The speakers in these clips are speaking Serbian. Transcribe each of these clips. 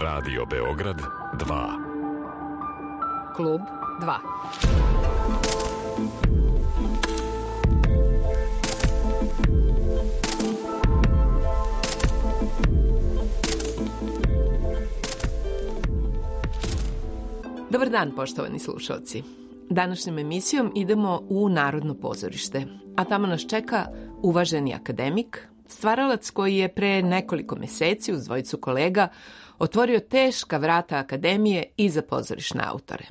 Radio Beograd 2. Klub 2. Dobar dan, poštovani slušalci. Današnjom emisijom idemo u Narodno pozorište, a tamo nas čeka uvaženi akademik, stvaralac koji je pre nekoliko meseci uz dvojicu kolega otvorio teška vrata akademije i za pozorišne autore.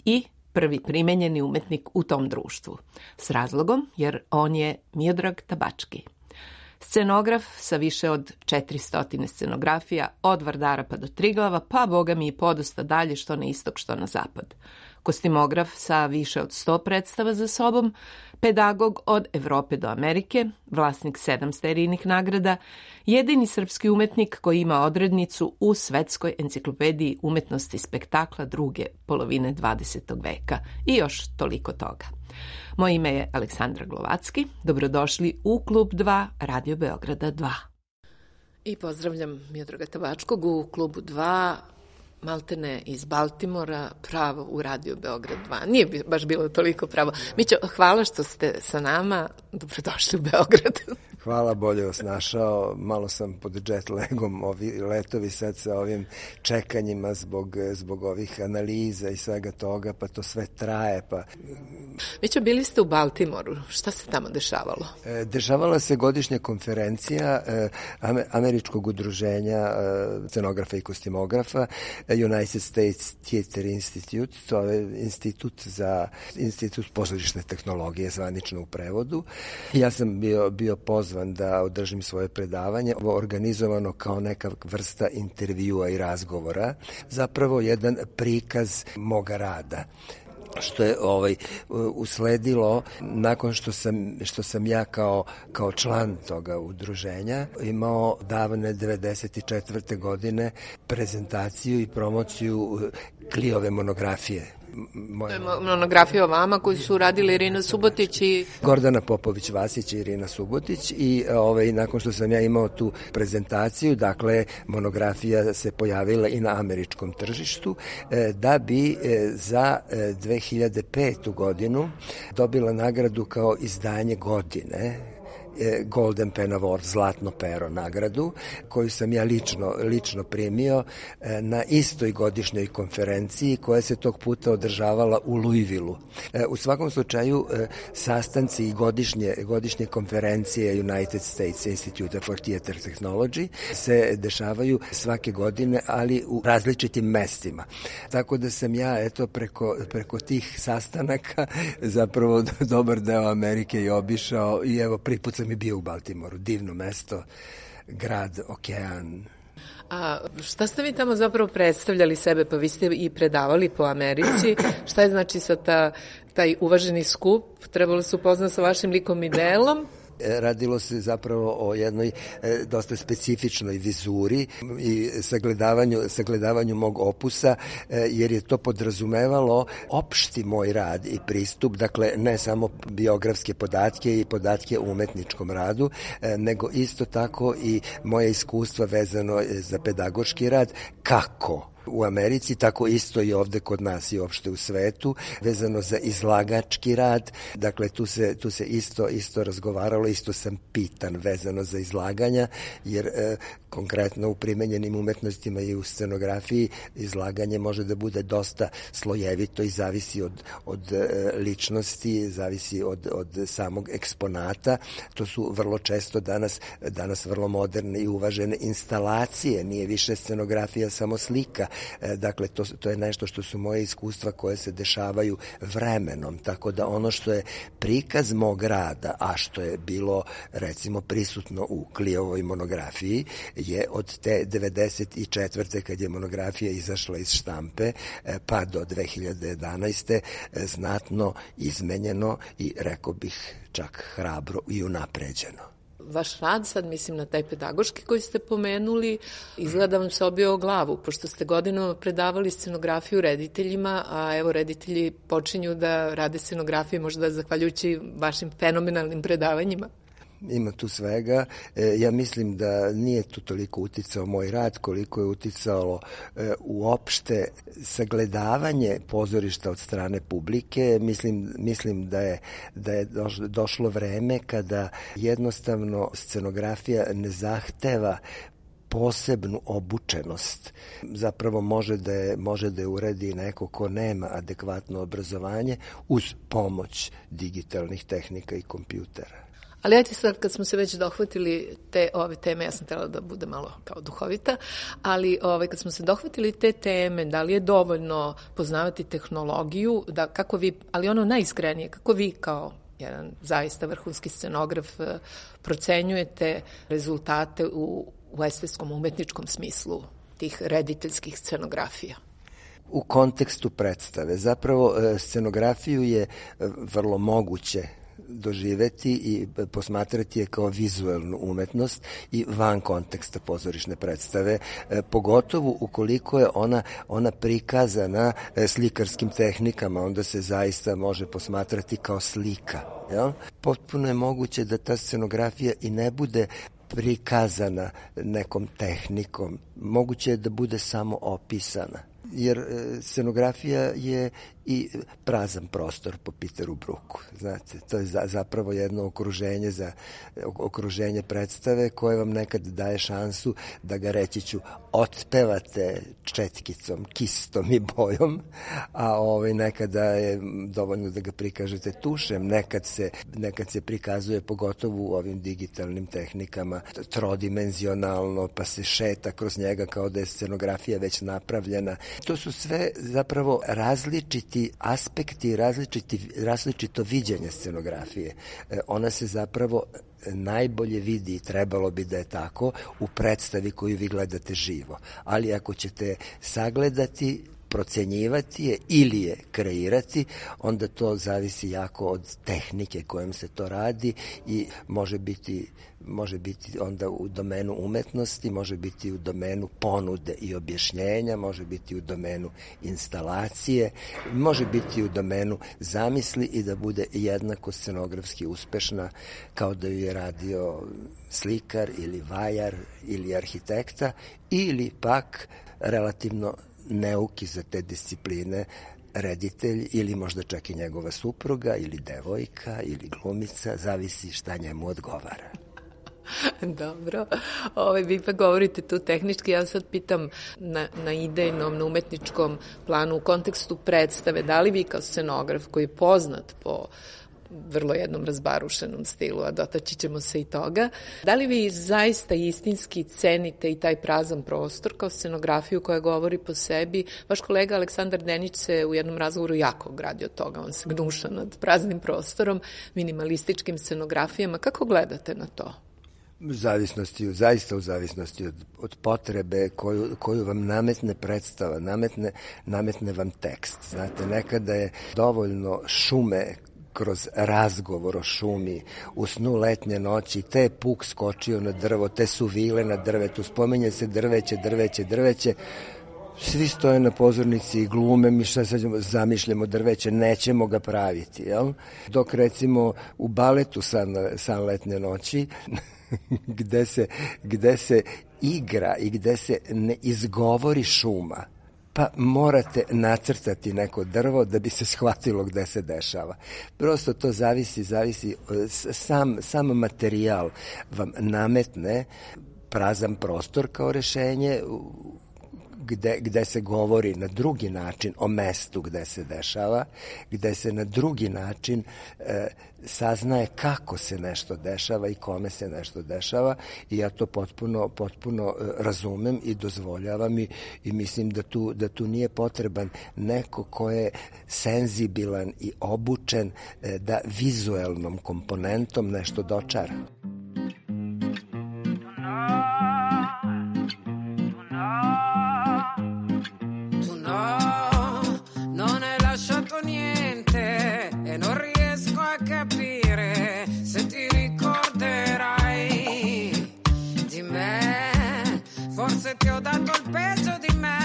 I prvi primenjeni umetnik u tom društvu. S razlogom, jer on je Miodrag Tabački. Scenograf sa više od 400 scenografija, od Vardara pa do Triglava, pa boga mi i podosta dalje što na istok, što na zapad. Kostimograf sa više od 100 predstava za sobom, pedagog od Evrope do Amerike, vlasnik 7 serijnih nagrada, jedini srpski umetnik koji ima odrednicu u Svetskoj enciklopediji umetnosti spektakla druge polovine 20. veka i još toliko toga. Moje ime je Aleksandra Glovacki. Dobrodošli u Klub 2 Radio Beograda 2. I pozdravljam Miodraga Tabačkog u Klubu 2, maltene iz Baltimora, pravo u Radio Beograd 2. Nije baš bilo toliko pravo. Mićo, hvala što ste sa nama. Dobrodošli u Beograd. Hvala, bolje vas našao. Malo sam pod jet lagom, ovi letovi sad sa ovim čekanjima zbog ovih analiza i svega toga, pa to sve traje. Mićo, bili ste u Baltimoru. Šta se tamo dešavalo? Dešavala se godišnja konferencija Američkog udruženja scenografa i kostimografa, United States Theater Institute, to je institut pozorišne tehnologije, zvanično u prevodu. Ja sam bio pozvan da održim svoje predavanje, organizovano kao neka vrsta intervjua i razgovora, zapravo jedan prikaz moga rada, što je usledilo nakon što sam ja kao član toga udruženja imao davne 94. godine prezentaciju i promociju Kliove monografije. Monografija o vama koju su radili Irina Subotić i Gordana Popović-Vasić i Irina Subotić i nakon što sam ja imao tu prezentaciju, dakle monografija se pojavila i na američkom tržištu, da bi za 2005. godinu dobila nagradu kao izdanje godine, Golden Pen Award, zlatno pero nagradu, koju sam ja lično primio na istoj godišnjoj konferenciji koja se tog puta održavala u Louisvilleu. U svakom slučaju, sastanci i godišnje konferencije United States Institute for Theater Technology se dešavaju svake godine, ali u različitim mestima. Tako da sam ja preko tih sastanaka zapravo dobar deo Amerike i obišao i evo prvi put sam i bio u Baltimoru, divno mesto, grad, okean. A šta ste vi tamo zapravo predstavljali sebe? Pa vi ste i predavali po Americi. Šta je znači sa taj uvaženi skup? Trebalo se upoznati sa vašim likom i delom? Radilo se zapravo o jednoj dosta specifičnoj vizuri i sagledavanju mog opusa, jer je to podrazumevalo opšti moj rad i pristup, dakle ne samo biografske podatke i podatke o umetničkom radu, nego isto tako i moje iskustva vezano za pedagoški rad, kako u Americi, tako isto i ovde kod nas i uopšte u svetu, vezano za izlagački rad. Dakle, tu se isto razgovaralo, isto sam pitan vezano za izlaganja, jer konkretno u primenjenim umetnostima i u scenografiji izlaganje može da bude dosta slojevito i zavisi od ličnosti, zavisi od samog eksponata. To su vrlo često danas vrlo moderne i uvažene instalacije, nije više scenografija samo slika. Dakle, to je nešto što su moje iskustva koje se dešavaju vremenom, tako da ono što je prikaz mog rada, a što je bilo recimo prisutno u Kliovoj monografiji, je od te 94. kad je monografija izašla iz štampe pa do 2011. znatno izmenjeno i rekao bih čak hrabro i unapređeno. Vaš rad, sad mislim na taj pedagoški koji ste pomenuli, izgleda vam se obio o glavu, pošto ste godinama predavali scenografiju rediteljima, a evo reditelji počinju da rade scenografiju možda zahvaljujući vašim fenomenalnim predavanjima. Ima tu svega. Ja mislim da nije tu toliko uticao moj rad koliko je uticalo uopšte sagledavanje pozorišta od strane publike. Mislim da je došlo vreme kada jednostavno scenografija ne zahteva posebnu obučenost. Zapravo može da je uredi neko ko nema adekvatno obrazovanje uz pomoć digitalnih tehnika i kompjutera. Ali ajte sad, kad smo se već dohvatili ove teme, ja sam htjela da bude malo kao duhovita, ali kad smo se dohvatili te teme, da li je dovoljno poznavati tehnologiju, ali ono najiskrenije, kako vi kao jedan zaista vrhunski scenograf procenjujete rezultate u estetskom umetničkom smislu tih rediteljskih scenografija? U kontekstu predstave. Zapravo scenografiju je vrlo moguće doživeti i posmatrati je kao vizuelnu umetnost i van konteksta pozorišne predstave, pogotovo ukoliko je ona prikazana slikarskim tehnikama, onda se zaista može posmatrati kao slika. Jel? Potpuno je moguće da ta scenografija i ne bude prikazana nekom tehnikom. Moguće je da bude samo opisana. Jer scenografija je i prazan prostor po Peteru Brooku. Znate, to je zapravo jedno okruženje predstave koje vam nekad daje šansu da ga, reći ću, otpevate četkicom, kistom i bojom, a nekada je dovoljno da ga prikažete tušem. Nekad se prikazuje, pogotovo u ovim digitalnim tehnikama, trodimenzionalno, pa se šeta kroz njega kao da je scenografija već napravljena. To su sve zapravo različiti aspekti, različito viđenje scenografije. Ona se zapravo najbolje vidi, trebalo bi da je tako, u predstavi koju vi gledate živo. Ali ako ćete sagledati, procenjivati je ili je kreirati, onda to zavisi jako od tehnike kojom se to radi i može biti onda u domenu umetnosti, može biti u domenu ponude i objašnjenja, može biti u domenu instalacije, može biti u domenu zamisli i da bude jednako scenografski uspešna kao da ju je radio slikar ili vajar ili arhitekta ili pak relativno neuki za te discipline reditelj ili možda čak i njegova supruga ili devojka ili glumica, zavisi šta njemu odgovara. Dobro. Vi pa govorite tu tehnički, ja sad pitam na idejnom, na umetničkom planu, u kontekstu predstave, da li vi kao scenograf koji je poznat po vrlo jednom razbarušenom stilu, a dotaći ćemo se i toga. Da li vi zaista istinski cenite i taj prazan prostor kao scenografiju koja govori po sebi? Vaš kolega Aleksandar Denić se u jednom razgovoru jako gradio toga, on se gnuša nad praznim prostorom, minimalističkim scenografijama. Kako gledate na to? Zaista u zavisnosti od potrebe koju vam nametne predstava, nametne vam tekst. Znate, nekada je dovoljno šume kroz razgovor o šumi, u snu letnje noći, te je puk skočio na drvo, te su vile na drvetu, spominje se drveće, svi stoje na pozornici i glume, mi šta sad zamišljamo drveće, nećemo ga praviti, jel? Dok recimo u baletu San letnje noći, gde se igra i gde se ne izgovori šuma, pa morate nacrtati neko drvo da bi se shvatilo gde se dešava. Prosto to zavisi, sam materijal vam nametne prazan prostor kao rešenje, gde se govori na drugi način o mestu gde se dešava, gde se na drugi način saznaje kako se nešto dešava i kome se nešto dešava i ja to potpuno razumem i dozvoljavam i mislim da tu nije potreban neko ko je senzibilan i obučen da vizuelnom komponentom nešto dočara. Ti ho dato il peggio di me,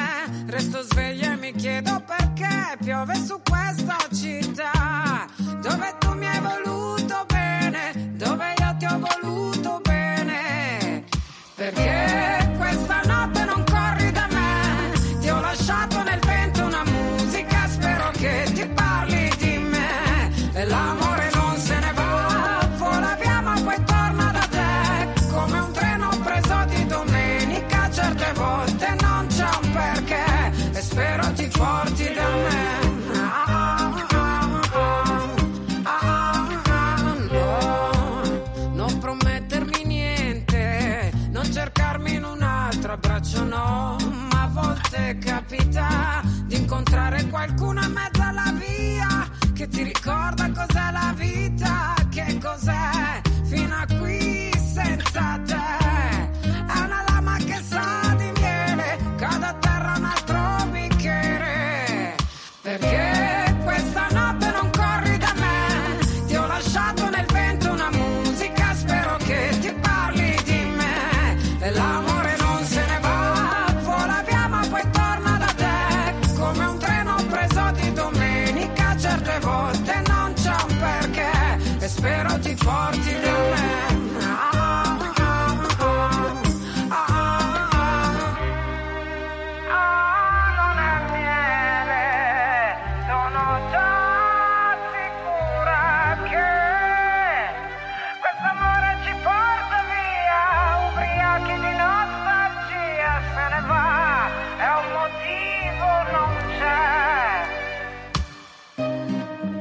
resto sveglia e mi chiedo perché piove su questa città, dove tu mi hai voluto bene, dove io ti ho voluto spero ti porti da me. Non è miele, sono già sicura che questo amore ci porta via, ubriachi di nostalgia, se ne va, è un motivo, non c'è.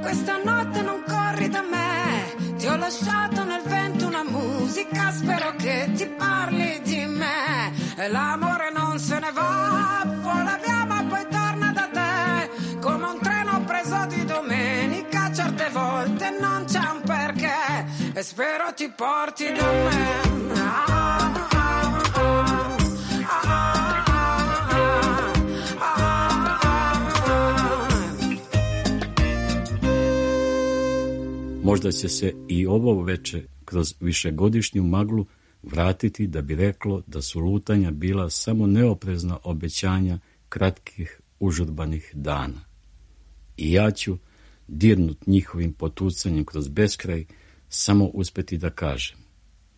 Questa notte non corri da me, ti ho lasciato nel vento una musica, spero che ti parli di me, e l'amore non se ne va, vola via ma poi torna da te, come un treno preso di domenica, certe volte non c'è un perché, e spero ti porti da me. Možda će se i ovo veče kroz višegodišnju maglu vratiti da bi reklo da su lutanja bila samo neoprezna obećanja kratkih užurbanih dana. I ja ću, dirnut njihovim potucanjem kroz beskraj, samo uspeti da kažem: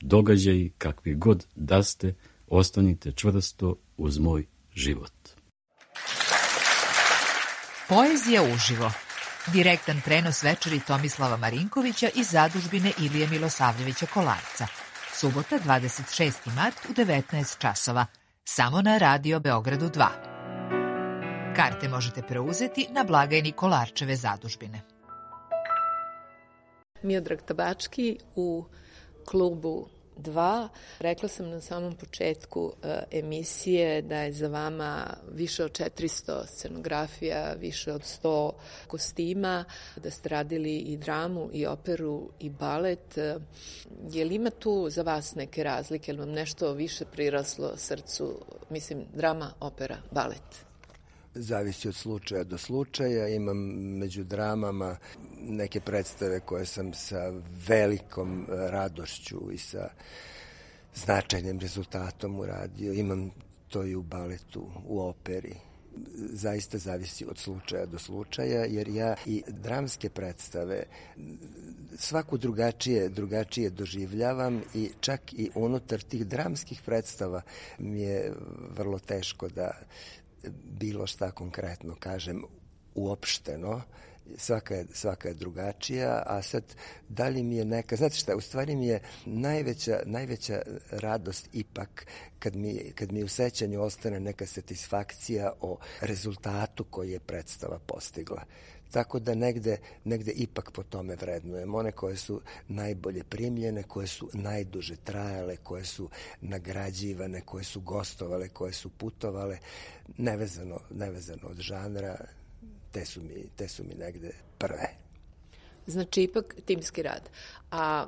događaji kakvi god da ste, ostanite čvrsto uz moj život. Poezija uživo. Direktan prenos večeri Tomislava Marinkovića iz zadužbine Ilije Milosavljevića Kolarca. Subota, 26. mart u 19 časova. Samo na Radio Beogradu 2. Karte možete preuzeti na blagajni Kolarčeve zadužbine. Miodrag Tabački u klubu 2. Rekla sam na samom početku emisije da je za vama više od 400 scenografija, više od 100 kostima, da ste radili i dramu, i operu, i balet. Je li ima tu za vas neke razlike? Je li vam nešto više priraslo srcu? Mislim, drama, opera, balet. Zavisi od slučaja do slučaja. Imam među dramama neke predstave koje sam sa velikom radošću i sa značajnim rezultatom uradio. Imam to i u baletu, u operi. Zaista zavisi od slučaja do slučaja, jer ja i dramske predstave svaku drugačije doživljavam i čak i unutar tih dramskih predstava mi je vrlo teško da bilo šta konkretno kažem uopšteno. Svaka je drugačija, a sad da li mi je neka, znate šta, u stvari mi je najveća radost ipak kad mi u sećanju ostane neka satisfakcija o rezultatu koji je predstava postigla. Tako da negde ipak po tome vrednujem. One koje su najbolje primljene, koje su najduže trajale, koje su nagrađivane, koje su gostovale, koje su putovale, nevezano od žanra, te su mi negde prve. Znači, ipak timski rad. A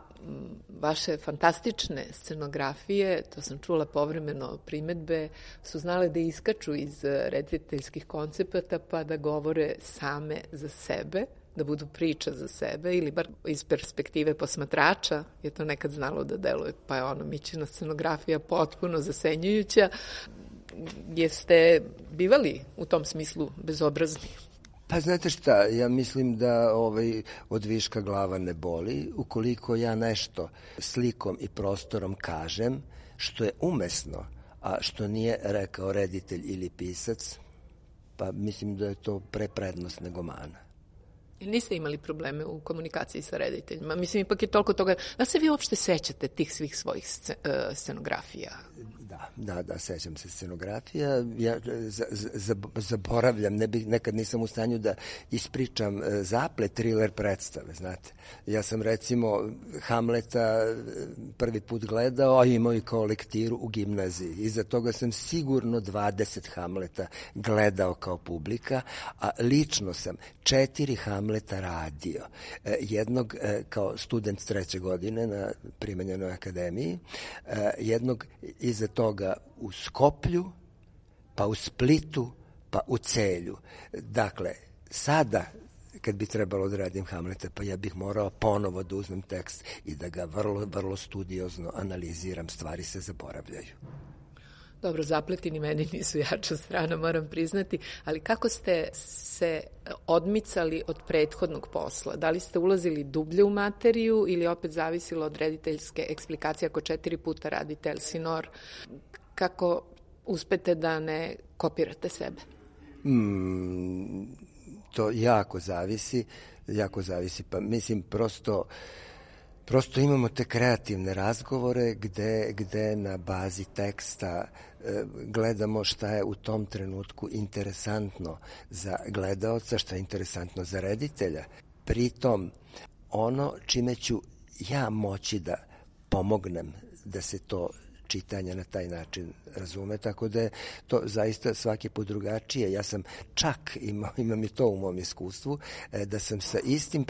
vaše fantastične scenografije, to sam čula povremeno primetbe, su znale da iskaču iz rediteljskih koncepata pa da govore same za sebe, da budu priča za sebe ili bar iz perspektive posmatrača je to nekad znalo da deluje, pa je Mićina scenografija potpuno zasenjujuća. Jeste bivali u tom smislu bezobrazni? Pa znate šta, ja mislim da od viška glava ne boli. Ukoliko ja nešto slikom i prostorom kažem što je umesno, a što nije rekao reditelj ili pisac, pa mislim da je to pre prednost nego mana. Niste imali probleme u komunikaciji sa rediteljima? Mislim, ipak je toliko toga. Da se vi uopšte sećate tih svih svojih scenografija? Da, sećam se scenografija. Ja zaboravljam, nekad nisam u stanju da ispričam zaplet thriller predstave, znate. Ja sam recimo Hamleta prvi put gledao, a imao i kao lektiru u gimnaziji. Iza toga sam sigurno 20 Hamleta gledao kao publika, a lično sam 4 Hamleta radio. Jednog kao student 3. godine na Primenjenoj akademiji, jednog iza toga u Skoplju, pa u Splitu, pa u Celju. Dakle, sada kad bi trebalo da radim Hamleta, pa ja bih morao ponovo da uzmem tekst i da ga vrlo, vrlo studiozno analiziram, stvari se zaboravljaju. Dobro, Zapletini meni nisu jača strana, moram priznati, ali kako ste se odmicali od prethodnog posla? Da li ste ulazili dublje u materiju ili opet zavisilo od rediteljske eksplikacije ako 4 puta radite Elsinor? Kako uspete da ne kopirate sebe? To jako zavisi, pa mislim prosto imamo te kreativne razgovore gde na bazi teksta gledamo šta je u tom trenutku interesantno za gledaoca, šta je interesantno za reditelja. Pritom, ono čime ću ja moći da pomognem da se to čitanje na taj način razume, tako da je to zaista svaki put drugačije. Ja sam čak, imam i to u mom iskustvu, da sam sa istim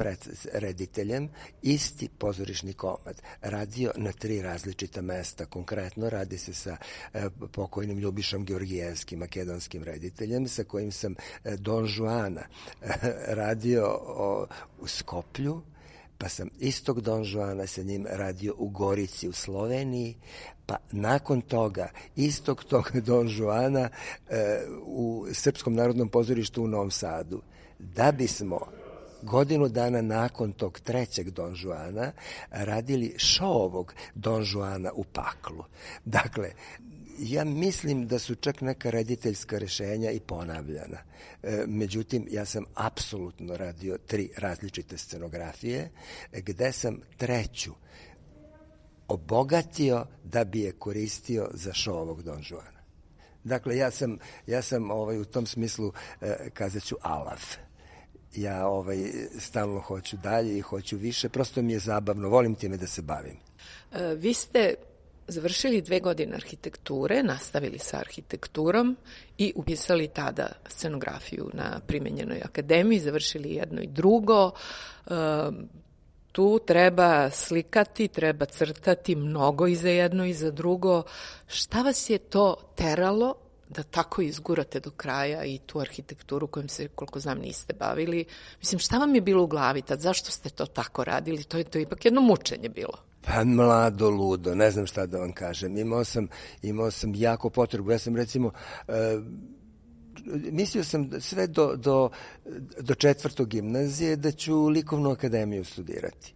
rediteljem, isti pozorišni komad radio na 3 različita mesta. Konkretno radi se sa pokojnim Ljubišom Georgijevskim, makedonskim rediteljem, sa kojim sam Don Juana radio u Skoplju, pa sam istog Don Juana sa njim radio u Gorici u Sloveniji, pa nakon toga istog tog Don Juana u Srpskom narodnom pozorištu u Novom Sadu. Da bismo godinu dana nakon tog 3. Don Juana radili šovog Don Juana u Paklu. Dakle, ja mislim da su čak neka rediteljska rešenja i ponavljana. Međutim, ja sam apsolutno radio 3 različite scenografije, gde sam 3. obogatio da bi je koristio za šovog Don Juana. Dakle, ja sam u tom smislu, kazat ću, alav. Ja stalno hoću dalje i hoću više, prosto mi je zabavno, volim time da se bavim. Vi ste završili 2 godine arhitekture, nastavili sa arhitekturom i upisali tada scenografiju na Primenjenoj akademiji, završili jedno i drugo. Tu treba slikati, treba crtati mnogo i za jedno i za drugo. Šta vas je to teralo da tako izgurate do kraja i tu arhitekturu kojom se, koliko znam, niste bavili? Mislim, šta vam je bilo u glavi tad? Zašto ste to tako radili? To je ipak jedno mučenje bilo. Pa mlado, ludo, ne znam šta da vam kažem. Imao sam jako potrebu. Ja sam recimo, mislio sam sve do 4. gimnazije da ću likovnu akademiju studirati.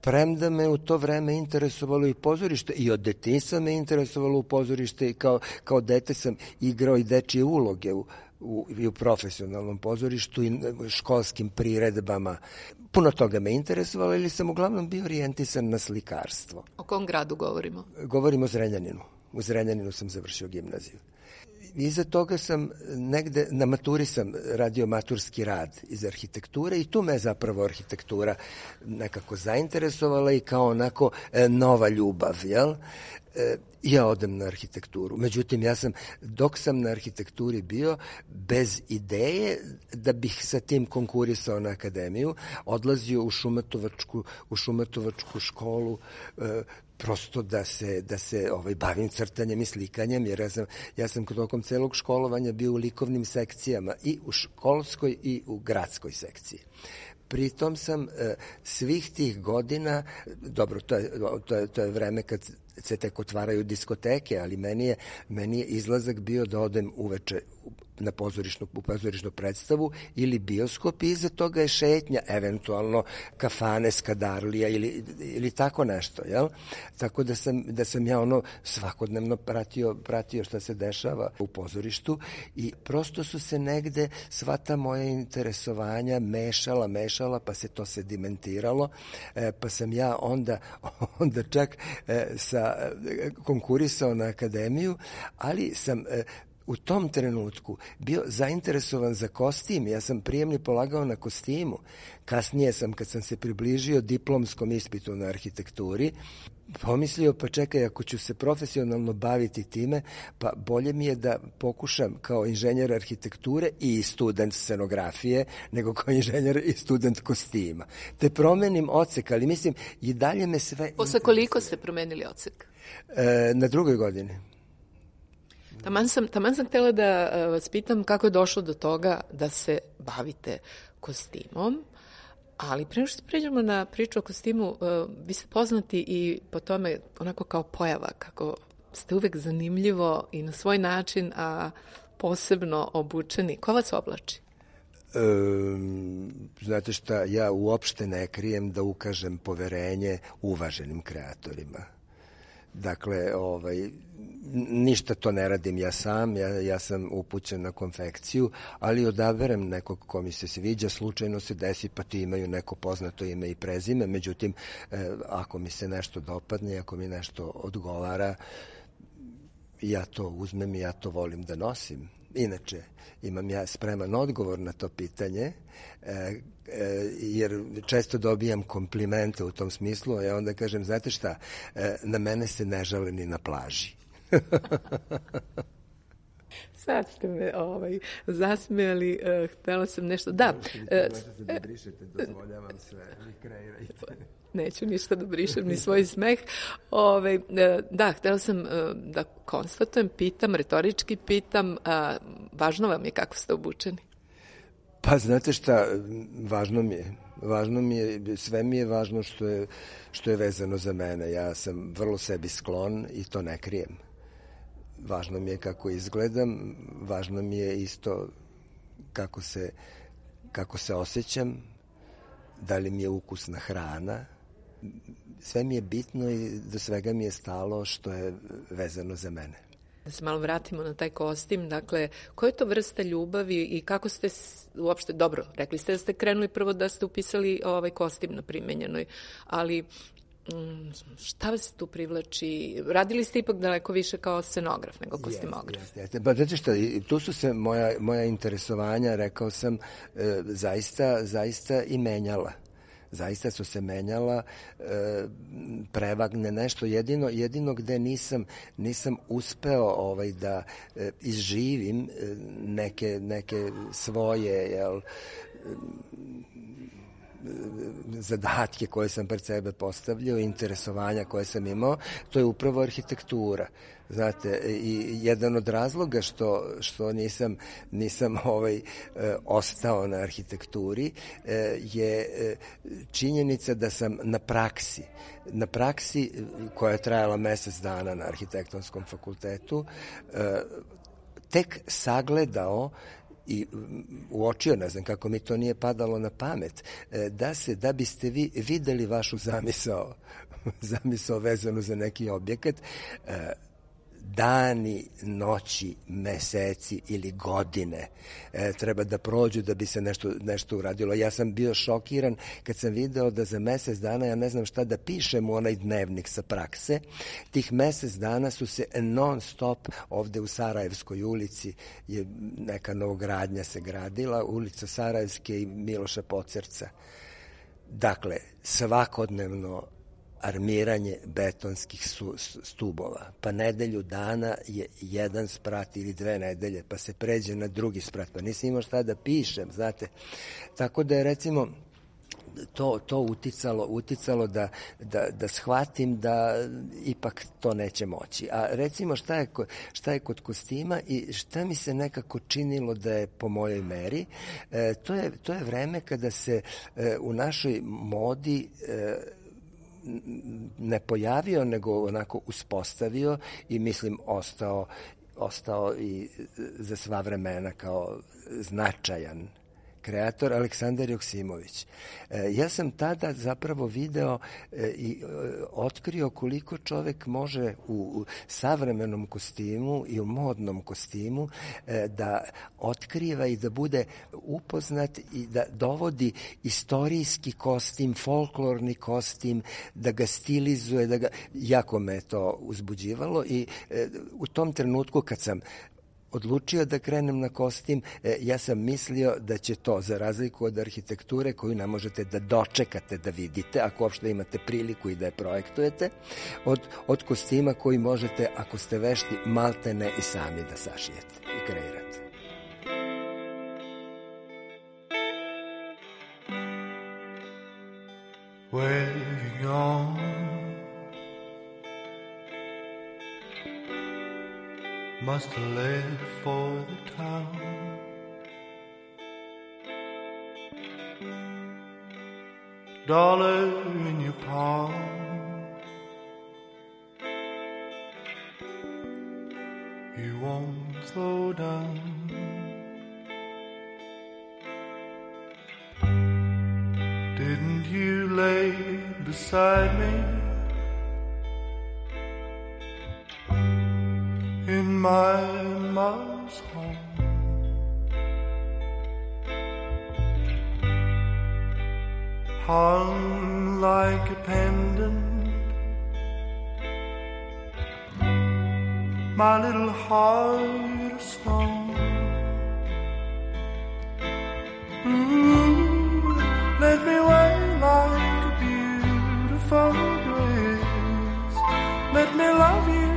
Premda me u to vreme interesovalo i pozorište, i od detinjstva me interesovalo u pozorište, i kao dete sam igrao i dečije uloge i u profesionalnom pozorištu i školskim priredbama. Puno toga me interesovalo, ili sam uglavnom bio orijentisan na slikarstvo. O kom gradu govorimo? Govorimo o Zrenjaninu. U Zrenjaninu sam završio gimnaziju. Iza toga sam negde, na maturi sam radio maturski rad iz arhitekture i tu me zapravo arhitektura nekako zainteresovala i kao onako nova ljubav, jel? Ja odem na arhitekturu. Međutim, dok sam na arhitekturi bio, bez ideje da bih sa tim konkurisao na akademiju, odlazio u Šumatovačku školu, prosto da se bavim crtanjem i slikanjem, jer ja sam tokom celog školovanja bio u likovnim sekcijama, i u školskoj i u gradskoj sekciji. Pritom sam svih tih godina, dobro, to je vreme kad se tek otvaraju diskoteke, ali meni je izlazak bio da odem uveče na pozorišnu predstavu ili bioskop, i iza toga je šetnja, eventualno kafane, skadarlija ili tako nešto, jel? Tako da sam ja svakodnevno pratio šta se dešava u pozorištu, i prosto su se negde sva ta moja interesovanja mešala, pa se to sedimentiralo, pa sam ja onda čak konkurisao na akademiju, ali sam u tom trenutku bio zainteresovan za kostim. Ja sam prijemni polagao na kostimu. Kasnije sam, kad sam se približio diplomskom ispitu na arhitekturi, pomislio, pa čekaj, ako ću se profesionalno baviti time, pa bolje mi je da pokušam kao inženjer arhitekture i student scenografije, nego kao inženjer i student kostima. Te promenim odsek, ali mislim, i dalje me sve... Posle koliko ste promenili odsek? Na 2. godini. Taman sam htjela da vas pitam kako je došlo do toga da se bavite kostimom, ali pre nego što pređemo na priču o kostimu, vi ste poznati i po tome onako kao pojava, kako ste uvek zanimljivo i na svoj način, a posebno obučeni. Ko vas oblači? Znate šta, ja uopšte ne krijem da ukažem poverenje uvaženim kreatorima. Dakle, ništa to ne radim ja sam, ja sam upućen na konfekciju, ali odaberem nekog ko mi se sviđa, slučajno se desi pa ti imaju neko poznato ime i prezime, međutim, ako mi se nešto dopadne, ako mi nešto odgovara, ja to uzmem i ja to volim da nosim. Inače, imam ja spreman odgovor na to pitanje, jer često dobijam komplimente u tom smislu, a ja onda kažem, znate šta, na mene se ne žale ni na plaži. Sad ste me zasmijali, htjela sam nešto. Da. Možete da brišete, dozvoljavam sve, vi kreirajte. Neću ništa da brišem, ni svoj smeh. Da, htjela sam da konstatujem, pitam, retorički pitam, važno vam je kako ste obučeni? Pa znate šta, važno mi je, sve mi je važno što je vezano za mene. Ja sam vrlo sebi sklon i to ne krijem. Važno mi je kako izgledam, važno mi je isto kako se osjećam, da li mi je ukusna hrana. Sve mi je bitno i do svega mi je stalo što je vezano za mene. Da se malo vratimo na taj kostim, dakle, koja je to vrsta ljubavi i kako ste uopšte, dobro, rekli ste da ste krenuli prvo da ste upisali kostim na primenjenoj, ali šta vas tu privlači? Radili ste ipak daleko više kao scenograf nego kostimograf. Jeste. Pa znači šta, tu su se moja interesovanja, rekao sam, zaista i menjala. Zaista su se menjala, prevagne nešto. Jedino gde nisam uspeo da izživim neke svoje zadatke koje sam pred sebe postavljao, interesovanja koje sam imao, to je upravo arhitektura. Znate, i jedan od razloga što nisam ostao na arhitekturi je činjenica da sam na praksi koja je trajala mesec dana na arhitektonskom fakultetu, tek sagledao i uočio, ne znam kako mi to nije padalo na pamet, da biste vi videli vašu zamisao vezanu za neki objekat, dani, noći, meseci ili godine treba da prođu da bi se nešto uradilo. Ja sam bio šokiran kad sam video da za mesec dana ja ne znam šta da pišem u onaj dnevnik sa prakse. Tih mesec dana su se non stop ovde u Sarajevskoj ulici, je neka novogradnja se gradila, ulica Sarajevske i Miloša Pocerca. Dakle, svakodnevno armiranje betonskih stubova. Pa nedelju dana je jedan sprat ili 2 nedelje, pa se pređe na drugi sprat. Pa nisam imao šta da pišem, znate. Tako da je, recimo, to uticalo da shvatim da ipak to neće moći. A recimo šta je kod kostima i šta mi se nekako činilo da je po mojoj meri, to je vreme kada se u našoj modi ne pojavio, nego onako uspostavio i mislim ostao i za sva vremena kao značajan kreator Aleksandar Joksimović. Ja sam tada zapravo video i otkrio koliko čovek može u savremenom kostimu i u modnom kostimu da otkriva i da bude upoznat i da dovodi istorijski kostim, folklorni kostim, da ga stilizuje, jako me to uzbuđivalo i u tom trenutku kad sam odlučio da krenem na kostim, ja sam mislio da će to, za razliku od arhitekture koju ne možete da dočekate da vidite, ako uopšte imate priliku i da je projektujete, od kostima koji možete, ako ste vešti, maltene i sami da sašijete i kreirate. Where you gone? Must have left for the town. $1 in your palm. won't slow down. Didn't you lay beside me in my mother's home? Hung like a pendant, my little heart of stone. Let me wear like a beautiful grace. Let me love you.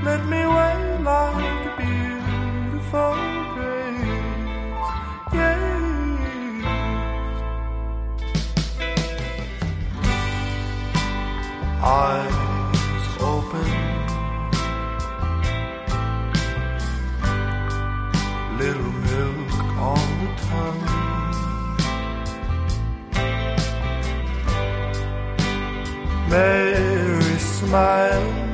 Let me wear like a beautiful grace. Yeah. Eyes open, little milk on the tongue. Mary smiling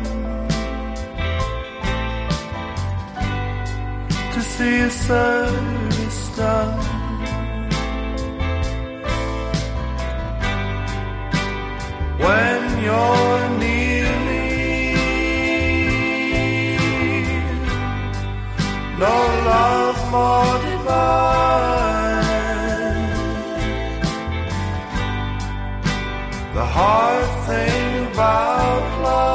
to see a service done. When you're nearly, no love more divine. The hard thing about love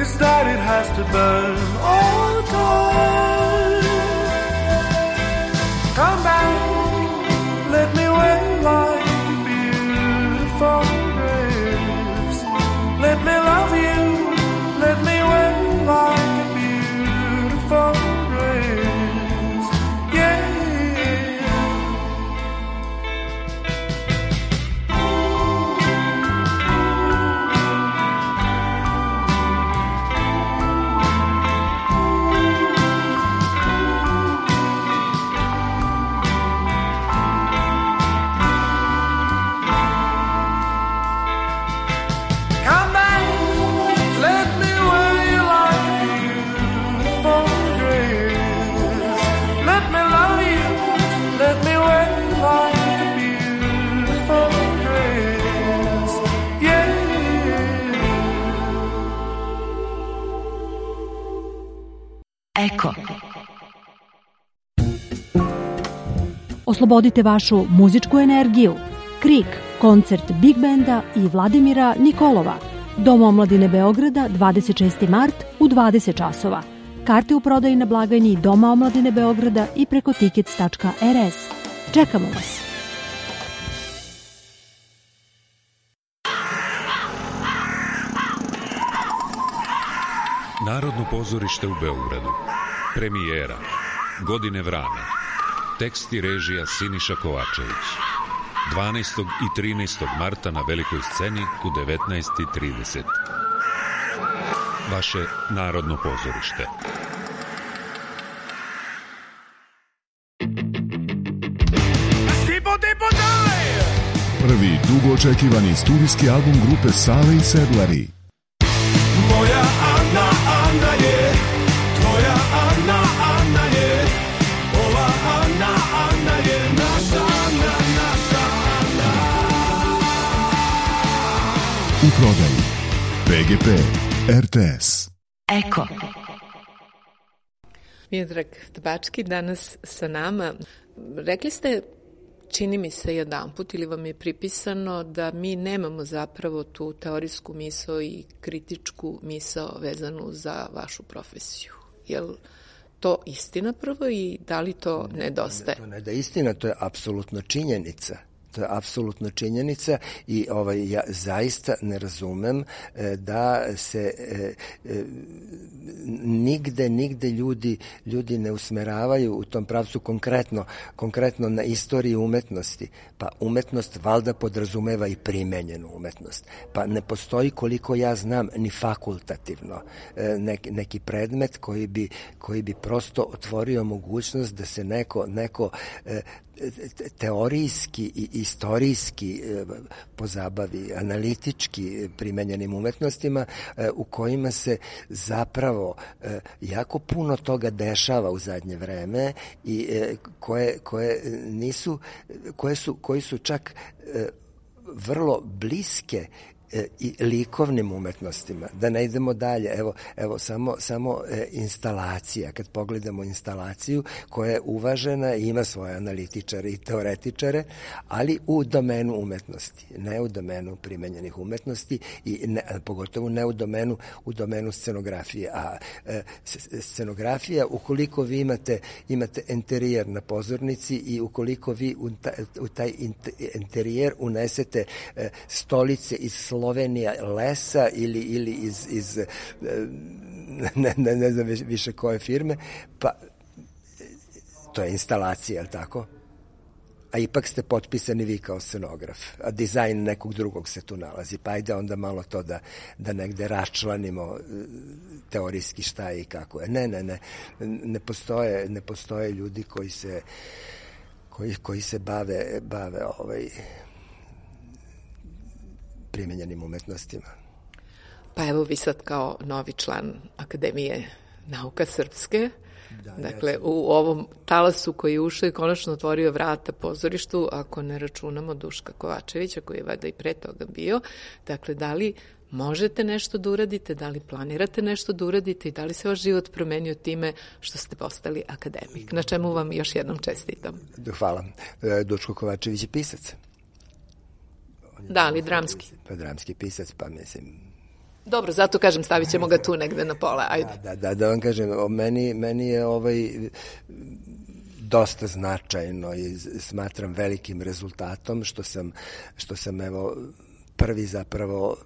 is that it has to burn all the time. Come back, let me wait like grace. Let me love you. Let me wait like a beautiful grace. Yeah. Eko. Oslobodite vašu muzičku energiju. Krik, koncert Big Benda i Vladimira Nikolova. Dom omladine Beograda, 26. mart u 20 časova. Karte u prodaji na blagajni Doma omladine Beograda i preko tickets.rs. Čekamo vas. Narodno pozorište u Beogradu. Premijera. Godine vrana. Tekst i režija Siniša Kovačević. 12. i 13. marta na velikoj sceni u 19:30. Vaše Narodno pozorište. Prvi dugo očekivani studijski album grupe Sale i Sedlari. Moja Ana, Ana je, tvoja Ana, Ana je, ova Ana, Ana je naša Ana, naša Ana. U prodaji PGP, RTS. Eko. Miodrag Tabački danas sa nama. Rekli ste, čini mi se jedanput, ili vam je pripisano da mi nemamo zapravo tu teorijsku misao i kritičku misao vezanu za vašu profesiju. Je li to istina prvo i da li to nedostaje? To ne da istina, to je apsolutno činjenica. To je apsolutno činjenica i ja zaista ne razumem da se nigde ljudi ne usmeravaju u tom pravcu konkretno na istoriju umetnosti. Pa umetnost valjda podrazumeva i primenjenu umetnost. Pa ne postoji, koliko ja znam, ni fakultativno neki predmet koji bi prosto otvorio mogućnost da se neko teorijski i istorijski pozabavi, analitički primenjenim umetnostima u kojima se zapravo jako puno toga dešava u zadnje vreme i koji su čak vrlo bliske i likovnim umetnostima. Da ne idemo dalje, evo samo instalacija. Kad pogledamo instalaciju koja je uvažena i ima svoje analitičare i teoretičare, ali u domenu umetnosti, ne u domenu primenjenih umetnosti i pogotovo ne u domenu scenografije. A scenografija, ukoliko vi imate interijer na pozornici i ukoliko vi u taj interijer unesete stolice iz Slovenija lesa ili iz ne znam više koje firme, pa to je instalacija, je li tako? A ipak ste potpisani vi kao scenograf, a dizajn nekog drugog se tu nalazi, pa ajde onda malo to da negde raščlanimo teorijski šta je i kako je. Ne postoje ljudi koji se bave primenjenim umetnostima. Pa evo vi sad kao novi član Akademije nauka srpske, dakle u ovom talasu koji je ušao i konačno otvorio vrata pozorištu, ako ne računamo Duška Kovačevića koji je valjda i pre toga bio, dakle da li možete nešto da uradite, da li planirate nešto da uradite i da li se vaš život promenio time što ste postali akademik, na čemu vam još jednom čestitam. Hvala. Duško Kovačević je pisac. Da, ali dramski. Pa dramski pisac, pa mislim... Dobro, zato kažem, stavit ćemo ga tu negde na pola, ajde. Da vam kažem, meni je dosta značajno i smatram velikim rezultatom što sam evo prvi zapravo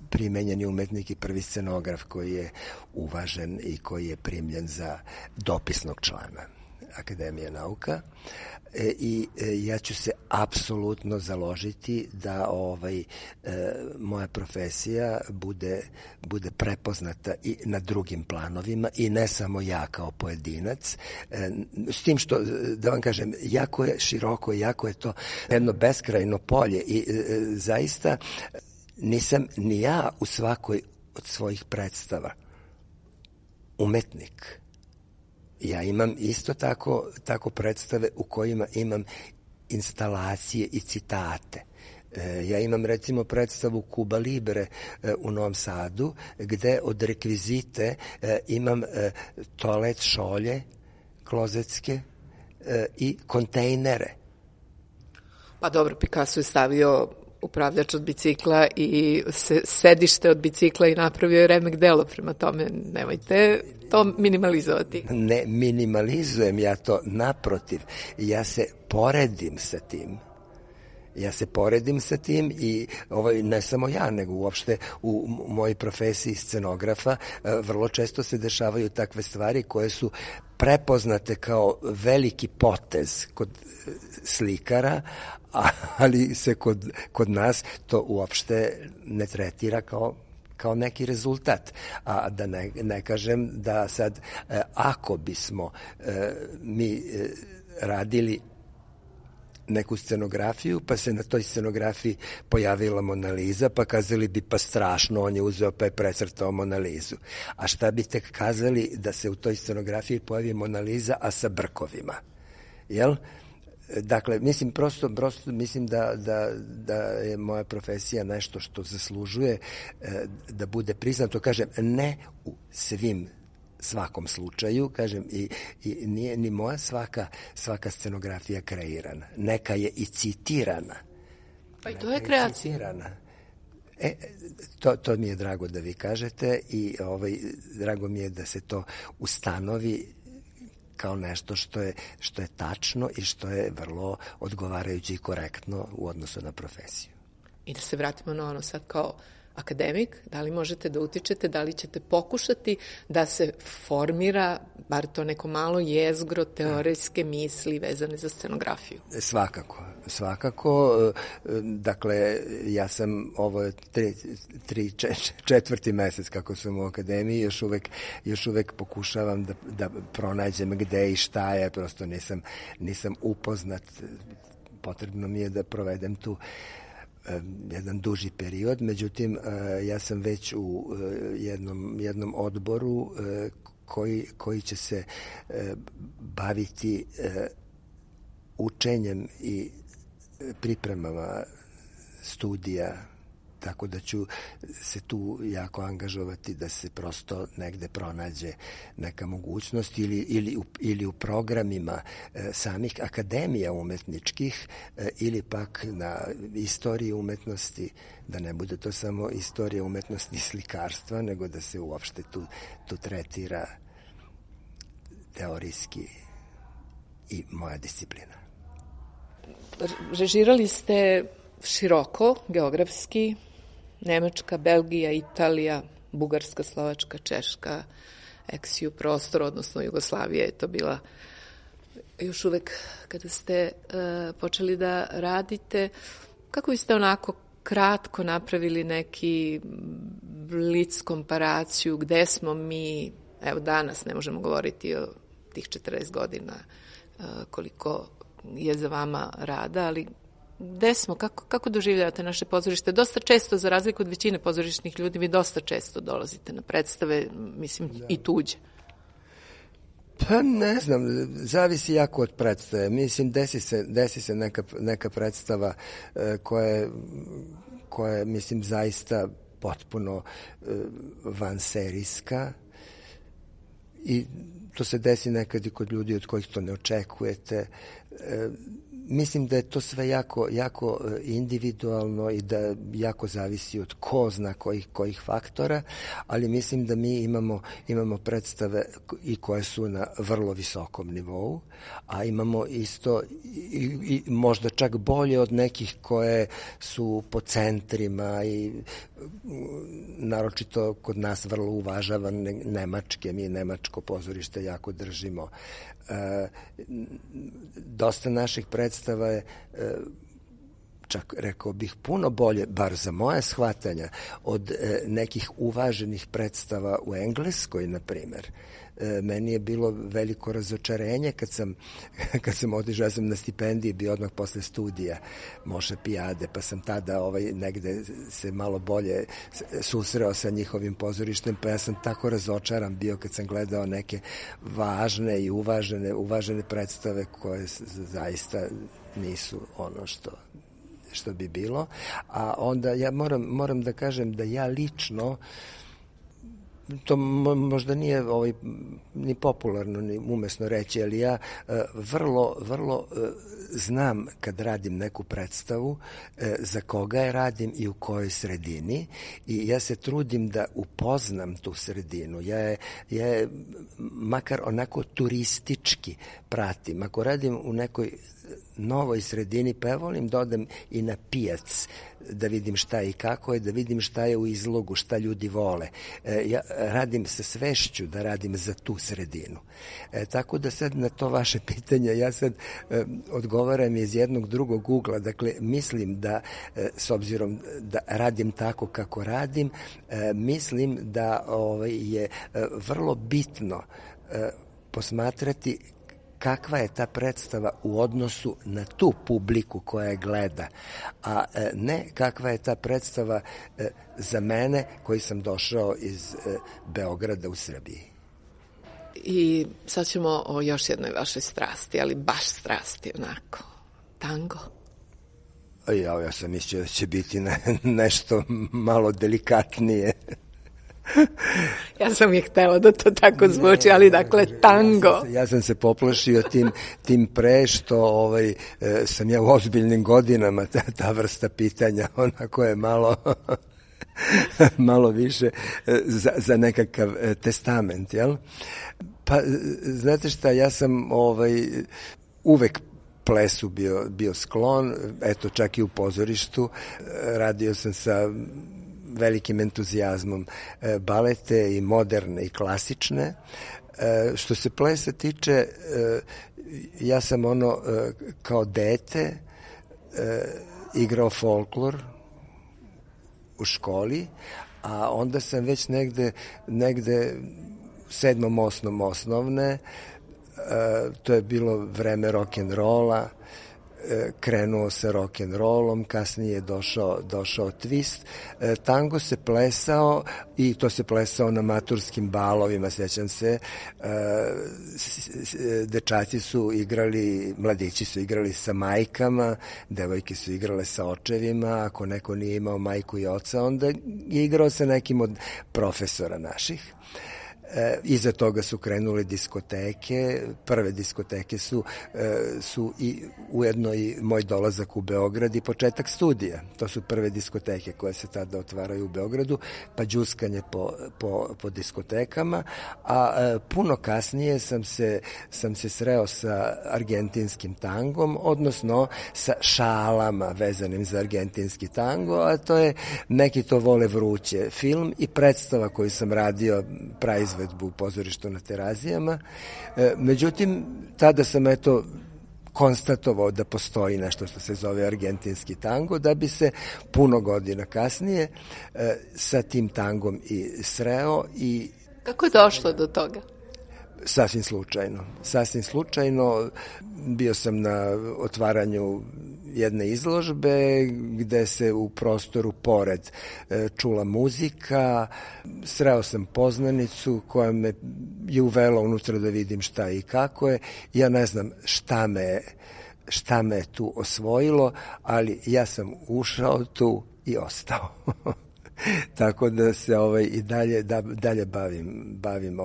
primenjeni umetnik i prvi scenograf koji je uvažen i koji je primljen za dopisnog člana Akademije nauka. I ja ću se apsolutno založiti da moja profesija bude prepoznata i na drugim planovima i ne samo ja kao pojedinac, s tim što, da vam kažem, jako je široko, jako je to jedno beskrajno polje i zaista nisam ni ja u svakoj od svojih predstava umetnik. Ja imam isto tako predstave u kojima imam instalacije i citate. Ja imam recimo predstavu Kuba Libre u Novom Sadu, gde od rekvizite imam toalet šolje, klozetske i kontejnere. Pa dobro, Picasso je stavio upravljač od bicikla i sedište od bicikla i napravio je remek delo, prema tome nemojte to minimalizovati. Ne minimalizujem ja to, naprotiv, ja se poredim sa tim i ne samo ja, nego uopšte u mojoj profesiji scenografa vrlo često se dešavaju takve stvari koje su prepoznate kao veliki potez kod slikara, ali se kod nas to uopšte ne tretira kao neki rezultat. A da ne kažem da sad, ako bismo mi radili neku scenografiju, pa se na toj scenografiji pojavila Mona Lisa, pa kazali bi pa strašno, on je uzeo pa je precrtao Mona Lisu. A šta bi tek kazali da se u toj scenografiji pojavi Mona Lisa, a sa brkovima? Jel? Dakle, mislim, prosto mislim da je moja profesija nešto što zaslužuje da bude priznato, kažem, ne u svakom slučaju, kažem, i nije ni moja svaka scenografija kreirana. Neka je i citirana. Pa i to je kreacija. To mi je drago da vi kažete i drago mi je da se to ustanovi kao nešto što je tačno i što je vrlo odgovarajuće i korektno u odnosu na profesiju. I da se vratimo na ono sad kao akademik, da li možete da utičete, da li ćete pokušati da se formira bar to neko malo jezgro teorijske misli vezane za scenografiju? Svakako. Dakle, ja sam ovo četvrti mesec kako sam u akademiji, još uvek pokušavam da pronađem gde i šta je, prosto nisam upoznat. Potrebno mi je da provedem tu jedan duži period, međutim ja sam već u jednom odboru koji će se baviti učenjem i pripremama studija, tako da ću se tu jako angažovati da se prosto negde pronađe neka mogućnost ili u programima samih akademija umetničkih ili pak na istoriji umetnosti, da ne bude to samo istorija umetnosti i slikarstva, nego da se uopšte tu tretira teorijski i moja disciplina. Režirali ste široko, geografski, Nemačka, Belgija, Italija, Bugarska, Slovačka, Češka, ex-ju prostor, odnosno Jugoslavija je to bila još uvek kada ste počeli da radite. Kako biste onako kratko napravili neki blic komparaciju gde smo mi, evo danas ne možemo govoriti o tih 40 godina koliko je za vama rada, ali gde smo, kako doživljavate naše pozorište? Dosta često, za razliku od većine pozorišnih ljudi, vi dosta često dolazite na predstave, mislim, i tuđe. Pa ne znam, zavisi jako od predstave. Mislim, desi se neka predstava koja je, mislim, zaista potpuno vanserijska i to se desi nekad i kod ljudi od kojih to ne očekujete. Mislim da je to sve jako individualno i da jako zavisi od ko zna kojih faktora, ali mislim da mi imamo predstave i koje su na vrlo visokom nivou, a imamo isto i možda čak bolje od nekih koje su po centrima i naročito kod nas vrlo uvažavan nemačke, mi nemačko pozorište jako držimo. Dosta naših predstava je čak rekao bih puno bolje, bar za moje shvatanja, od nekih uvaženih predstava u Engleskoj, na primer. Meni je bilo veliko razočarenje kad sam otišao, ja sam na stipendiji bio odmah posle studija Moše Pijade, pa sam tada negde se malo bolje susreo sa njihovim pozorištem, pa ja sam tako razočaran bio kad sam gledao neke važne i uvažene predstave koje zaista nisu ono što bi bilo. A onda ja moram da kažem da ja lično, to možda nije ni popularno ni umesno reći, ali ja vrlo znam kad radim neku predstavu za koga je radim i u kojoj sredini, i ja se trudim da upoznam tu sredinu. Ja je makar onako turistički pratim. Ako radim u nekoj novoj sredini, pa ja volim da odem i na pijac, da vidim šta i kako je, da vidim šta je u izlogu, šta ljudi vole. Ja radim sa svešću da radim za tu sredinu. Tako da sad na to vaše pitanje, ja sad odgovaram iz jednog drugog ugla. Dakle, mislim da, s obzirom da radim tako kako radim, mislim da je vrlo bitno posmatrati kakva je ta predstava u odnosu na tu publiku koja je gleda, a ne kakva je ta predstava za mene koji sam došao iz Beograda u Srbiji. I sad ćemo o još jednoj vašoj strasti, ali baš strasti onako. Tango. Ja sam mislio da će biti nešto malo delikatnije. Ja sam je htela da to tako zvuči, ali dakle tango. Ja sam se poplašio tim pre što sam ja u ozbiljnim godinama, ta vrsta pitanja onako je malo više za nekakav testament, jel? Pa, znate šta, ja sam uvek plesu bio sklon, eto čak i u pozorištu. Radio sam sa velikim entuzijazmom balete i moderne i klasične. Što se plesa tiče, ja sam kao dete igrao folklor u školi, a onda sam već negde 7. osnovne, to je bilo vreme rock'n'rolla, krenuo sa rock'n'rollom, kasnije je došao twist. Tango se plesao i to se plesao na maturskim balovima, sećam se. Dečaci su igrali, mladići su igrali sa majkama, devojke su igrale sa očevima, ako neko nije imao majku i oca, onda je igrao sa nekim od profesora naših. Iza toga su krenule diskoteke, prve diskoteke su i ujedno i moj dolazak u Beograd i početak studija. To su prve diskoteke koje se tada otvaraju u Beogradu, pa đuskanje po diskotekama, a puno kasnije sam se sreo sa argentinskim tangom, odnosno sa šalama vezanim za argentinski tango, a to je Neki to vole vruće, film i predstava koju sam radio, praizvedbu u pozorištu na Terazijama. Međutim, tada sam konstatovao da postoji nešto što se zove argentinski tango, da bi se puno godina kasnije sa tim tangom i sreo. Kako je došlo do toga? Sasvim slučajno. Bio sam na otvaranju jedne izložbe gde se u prostoru pored čula muzika. Sreo sam poznanicu koja me je uvela unutra da vidim šta i kako je. Ja ne znam šta me je tu osvojilo, ali ja sam ušao tu i ostao. Tako da se i dalje bavim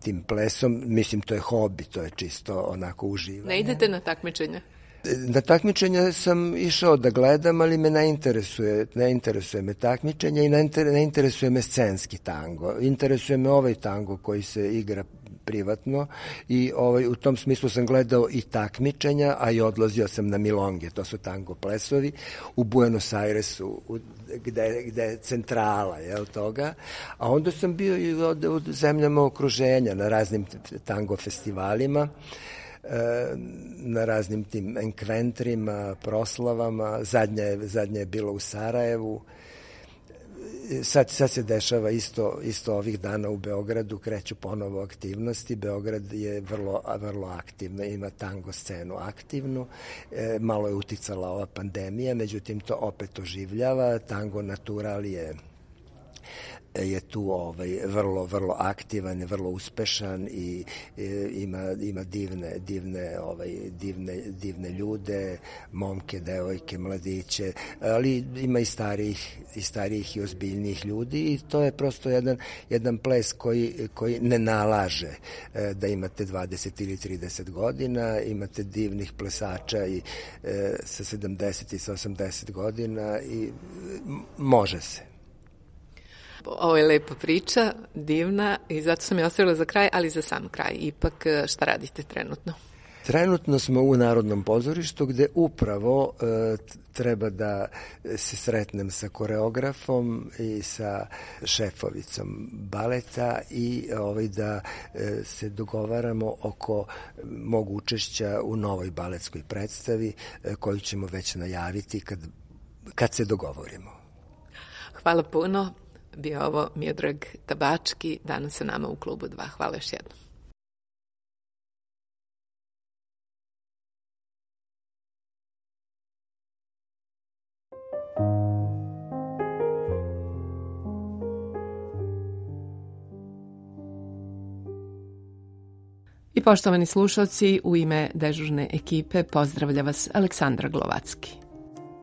tim plesom. Mislim, to je hobi, to je čisto onako uživanje. Ne idete na takmičenja? Na takmičenja sam išao da gledam, ali me ne interesuje me takmičenja i ne interesuje me scenski tango. Interesuje me ovaj tango koji se igra privatno i u tom smislu sam gledao i takmičenja, a i odlazio sam na milonge, to su tango plesovi, u Buenos Airesu, gde je centrala toga, a onda sam bio i u zemljama okruženja, na raznim tango festivalima, na raznim tim enkventrima, proslavama, zadnja je bilo u Sarajevu. Sad se dešava isto ovih dana u Beogradu, kreću ponovo aktivnosti. Beograd je vrlo aktivno, ima tango scenu aktivnu, malo je uticala ova pandemija, međutim to opet oživljava. Tango natural je tu vrlo aktivan, vrlo uspešan i ima divne ljude, momke, devojke, mladiće, ali ima i starijih i ozbiljnijih ljudi i to je prosto jedan ples koji ne nalaže da imate 20 ili 30 godina, imate divnih plesača i sa 70 i sa 80 godina i može se. Ovo je lepa priča, divna i zato sam je ostavila za kraj, ali za sam kraj. Ipak, šta radite trenutno? Trenutno smo u Narodnom pozorištu gde upravo treba da se sretnem sa koreografom i sa šefovicom baleta i da se dogovaramo oko mog učešća u novoj baletskoj predstavi koju ćemo već najaviti kad se dogovorimo. Hvala puno. Bio ovo Miodrag Tabački, danas sa nama u Klubu 2. Hvala još jednom. I poštovani slušalci, u ime dežurne ekipe pozdravlja vas Aleksandra Glovacki.